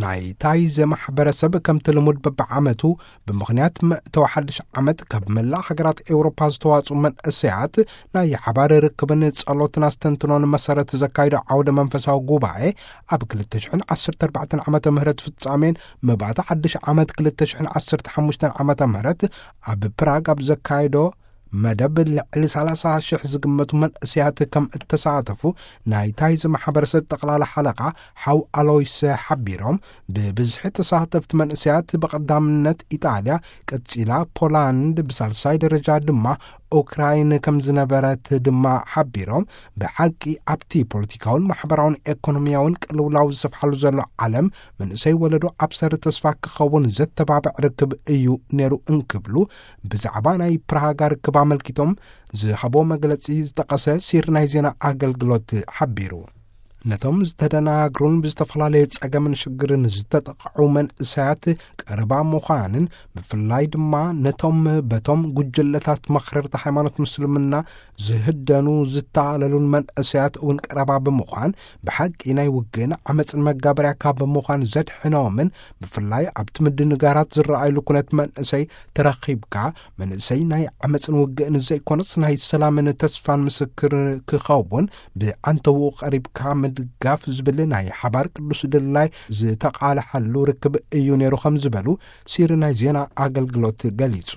ናይ ታይዘ ማሕበረሰብ ከምቲ ልሙድ በብዓመቱ ብምኽንያት መእተዊ ሓድሽ ዓመት ካብ መላእ ሃገራት ኤውሮፓ ዝተዋጽኡ መንእሰያት ናይ ሓባር ርክብን ጸሎትን ኣስተንትኖን መሰረት ዘካይዶ ዓውደ መንፈሳዊ ጉባኤ ኣብ ክልተ ሽሕን ዓሰርተ ኣርባዕተን ዓመተ ምህረት ፍጻሜን መባእታ ሓድሽ ዓመት ክልተ ሽሕን ዓሰርተ ሓሙሽተን ዓመተ ምህረት ኣብ ፕራግ ኣብ ዘካይዶ መደብ ልዕሊ ሰላሳ ሽሕ ዝግመቱ መንእሰያት ከም እተሳተፉ ናይ ታይዘ ማሕበረሰብ ጠቕላላ ሓለቓ ሓው ኣሎይስ ሓቢሮም፣ ብብዝሒ ተሳተፍቲ መንእሰያት ብቐዳምነት ኢጣልያ፣ ቀጺላ ፖላንድ፣ ብሳልሳይ ደረጃ ድማ ኡክራይን ከም ዝነበረት ድማ ሓቢሮም፣ ብሓቂ ኣብቲ ፖለቲካውን ማሕበራውን ኤኮኖሚያውን ቅልውላው ዝሰፍሓሉ ዘሎ ዓለም መንእሰይ ወለዶ ኣብሰሪ ተስፋ ክኸውን ዘተባብዕ ርክብ እዩ ነይሩ እንክብሉ ብዛዕባ ናይ ፕራሃጋ ርክብ ኣመልኪቶም ዝሃቦ መግለጺ ዝጠቐሰ ሲር ናይ ዜና ኣገልግሎት ሓቢሩ። ነቶም ዝተደናግሩን ብዝተፈላለየ ጸገምን ሽግርን ዝተጠቕዑ መንእሰያት ቀረባ ምዃንን፣ ብፍላይ ድማ ነቶም በቶም ጉጅለታት መኽረርቲ ሃይማኖት ምስልምና ዝህደኑ ዝታለሉን መንእሰያት እውን ቀረባ ብምዃን፣ ብሓቂ ናይ ውግእን ዓመፅን መጋበርያ ካብ ምዃን ዘድሕኖምን፣ ብፍላይ ኣብቲ ምድንጋራት ዝረኣየሉ ኩነት መንእሰይ ተረኺብካ፣ መንእሰይ ናይ ዓመፅን ውግእን ዘይኮነስ ናይ ሰላምን ተስፋን ምስክር ክኸውን ብዓንተውኡ ቀሪብካ ምድጋፍ ዝብል ናይ ሓባር ቅዱስ ድላይ ዝተቓልሓሉ ርክብ እዩ ነይሩ ከም ዝበሉ ሲሪ ናይ ዜና ኣገልግሎት ገሊጹ።